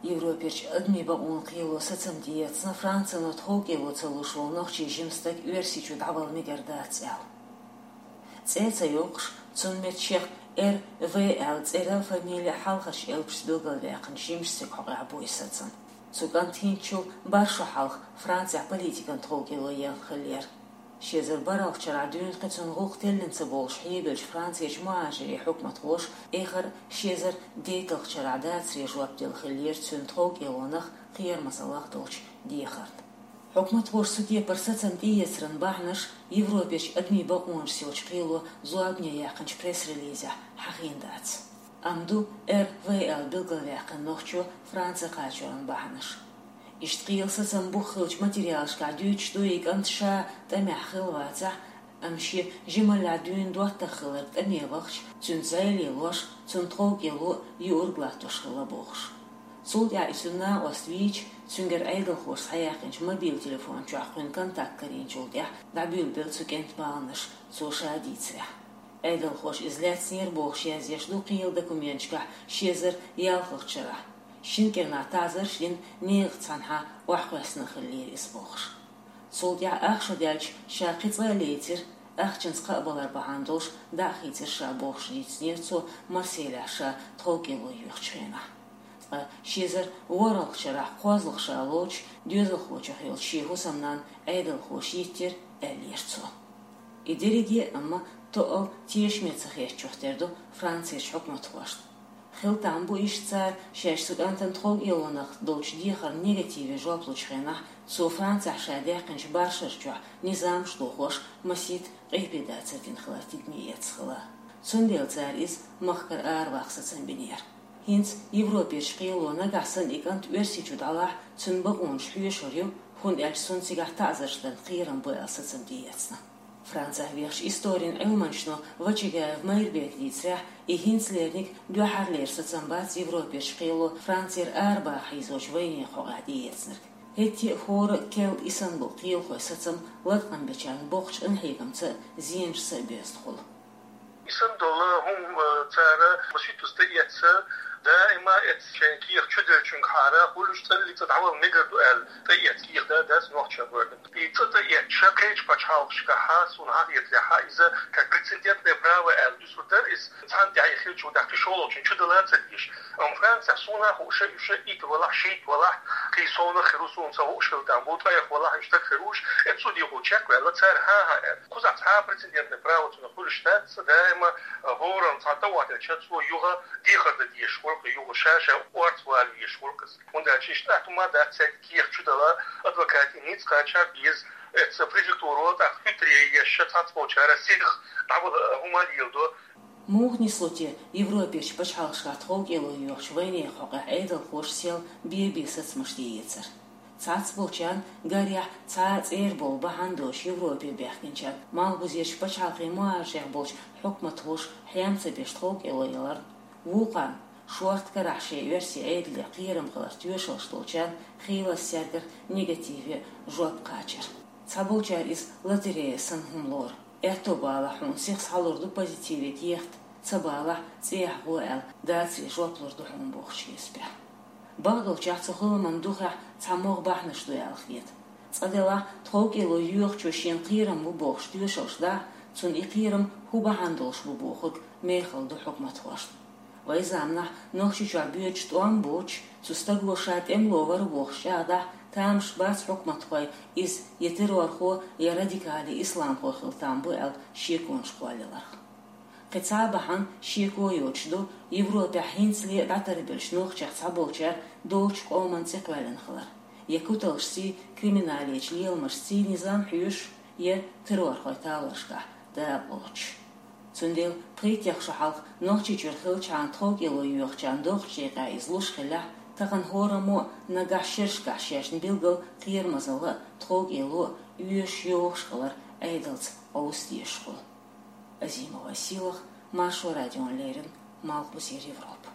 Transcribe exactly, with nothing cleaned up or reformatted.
Европерчу адамийн бакъонан кхело сацам тӀеэцна, Францино тховкӀело ца луш волу нохчийн жима стаг Оьрсийчу дӀавала мегар дац аьлла. ЦӀе а ца йоккхуш, цунна метта шех Р В аьлла цӀера, фамили а хьалхарчу элпашца билгалваьккхинчу жимачу стеган хьокъехь бу и сацам. Цу кӀанта хӀинцачул бархӀ шо хьалха Францехь политикан тховкӀело елла хиллера. Ши эзар бархӀалгӀачу шарахь дуьйна кхин цунна гӀуллакх теллина ца болуш хьебеллачу Францерчу мухӀажирийн хьукматхоша эххар ши эзар дейтталгӀачу шарахь дацаре жоп делла хиллера цуьнан тховкӀелонах, кхерамазаллах долчу дехарна. Хьукматхоша цу кепара сацам тӀеэцаран бахьанаш Европерчу адамийн бакъонашца йолчу кхело зорбане яьккхинчу пресс-релизехь хьахийна дац. Амма ду Р В аьлла билгалваьккхина нохчо Франце кхачоран бахьанаш. Иштта кхелан сацам бух хиллачу материалашкахь дуьйцуш ду и кӀант ша тӀамехь хилла вацахь, амма шен жималлехь дуьйна доттагӀа хилларг тӀаме вахча, цуьнца зӀе лелош, цунна тховкӀело а юург латтош хилла бохуш. Цул тӀаьхьа и цуьнан накъост вийча, цуьнгара Ӏедалхоша схьаяьккхинчу мобил телефон чохь кхуьнан контакт карийначул тӀаьхьа дӀабуьйлабелла цу кӀентан баланаш, цо ша дийцарехь. Ӏедалхоша иза лаьцнера бохуш язъеш ду кхелан документашкахь ши эзар ялхалгӀачу шарахь. Шина кӀирнахь таӀзарш дина, некъаца цхьаьнахьа охьакхоьссина хиллера иза бохуш. Цул тӀаьхьа ах шо даьлча ша кхин цкъа а лецира, ахчанца кхаъ балар бахьана долуш дӀа а хийцира ша бохуш дийцинера цо Марселехь ша тховкӀело йоьхучу хенахь. Ткъа ши эзар ворхӀалгӀачу шарахь кхозлагӀа ша лоцуш доьзалхочух йолчу шен хӀусамнанна Ӏедалхоша йиттира, аьллера цо. И дерриге а амма тоъал тешаме ца хетачух тера ду Францерчу хьукматхошна. Хила там бу иштта цара шаьш цу кӀантана тховкӀелонах долчу дехарна негативе жоп лучу хенахь, цо Францехь ша даьккхинчу бархӀ шар чохь низамаш дохош масийтта къепедацар дина хилар тидаме эцна хила. Цундела цара иза махкара араваккха сацам бинера. ХӀинца Европерчу кхело нагахь санна и кӀант Оьрсийчу дӀалахь, цуьнан бакъонаш хьоьшур ю, хӀунда аьлча цунна цигахь таӀзарш дан кхерам бу аьлла сацам тӀеэцна. Францехь вехачу историн Ӏилманчо Вачагаев Майрбека дийцарехь, и хӀинцалерниг дуьххьарлера сацам бац Европерчу кхело Францера арабаха хьийзочу вайнехан хьокъехь тӀеэцнарг. ХӀетте а хӀора а керла и санна болу кхелахойн сацам латкъам бечарна боккхачу къинхьегамца а, зенашца а боьзна хуьлу. И санна долу хӀума цара масийтта тӀеэцна, даима эцна шайн кехат чуделлачуьнгахьара хуьлуш цӀаллиг цӀа дӀавала мегар ду аьлла тӀеэцна кехат дац нохчийн гӀоьртан. И цӀа тӀеэцча кхечу пачхьалкхашкахьа, суна хьахетарехьа, иза как прецедентное право аьлла дуьсур дара иза, цхьана тӀехь и хилча дӀа кхин шолгӀачунна чудала ца дезаш. Амма Францехь суна а хууш, уьш итт валахь, шийтта валахь, кхин совнах хир ву суна ца хууш хила там бу, ткъех валахь, уьш стаг хир ву уьш, эцу судехула чекхваьлла, цара хӀан-хӀа аьлла. Кхузахь цхьа а прецедентное право цунах хуьлуш дац, даима хӀоранна цхьа тӀе а вахийтича, цо юха дехар дан дезаш хуьлу-кх, юха ша-ша орца вала везаш хуьлу-кх иза. ХӀунда аьлча иштта атта хӀума дац цаьрга кехат чудала, адвокатийн ницкъ кхача а беза, эцу префектуро тӀаккха хӀуьттаре еш, цхьацболчара сиха дӀавала хӀума леладо. Муха нисло те Европерчу пачхьалкхашкахь тховкӀело йоьхучу вайнехан хьокъехь Ӏедалхоша сел бен-бен сацамаш тӀеэцар? Цхьацболчарна, гарехь, цхьа а цӀера болу бахьана доцуш Европе баьхкинчарна, малхбузерчу пачхьалкхийн мухӀажарехь болчу хьукматхоша хьем ца беш тховкӀело яларна, вукхарна, шорта карахь шайн оьрсийн Ӏедале кхерам хиларх тоьшаллаш долчарна, хийлаза цаьргара негативе жоп кхачар. Цхьаболчара иза лотерея санна хӀума лору. Аьтто балахь, хьуна сиха схьалур ду позитиве кехат, ца балахь, цӀехьа гӀо аьлла, дацаре жоп лур ду хьуна бохучу хьесапехь. Бакъдолчехь цу хиламан духехь цхьа могӀа бахьанаш ду аьлла хета. Цкъа делахь, тховкӀело йоьхучо шена кхерам бу бохуш тоьшаллаш дахь, цунна и кхерам хӀун бахьана долуш бу бохург мехала ду хьукматхошна. Вайн заманахь Нохчийчохь боьдуш тӀом боцуш, цу стаго ша тӀемало вара бохуш чӀагӀдахь, тамаш бац хьукматхойн иза я террорхо, я радикали исламхо хила там бу аьлла шеконаш кхоллаяларх. Кхин цхьа а бахьана шеко йоцуш ду Европехь хӀинцале а дӀатарбеллачу нохчех цхьаболчара долчу къоман цӀе кхоьллина хилар, я куталшций, криминалечу леламашций низам хьоьшуш, я террорхойн талорашкахь дакъалоцуш. Цундела пхийттех шо хьалха Нохчийчуьра хиллачхьана тховкӀело йоьхучарна доккхачу декъехь иза луш хиллехь, тахана хӀораммо а нагахь шерашкахь шаьшна билггал кхерамазалла а, тховкӀело а оьшуш, йохуш хилар Ӏедалца къовса дезаш хуьлу. Азимова Сийлаха, Маршо радиона леррина, Малхбузера Европа.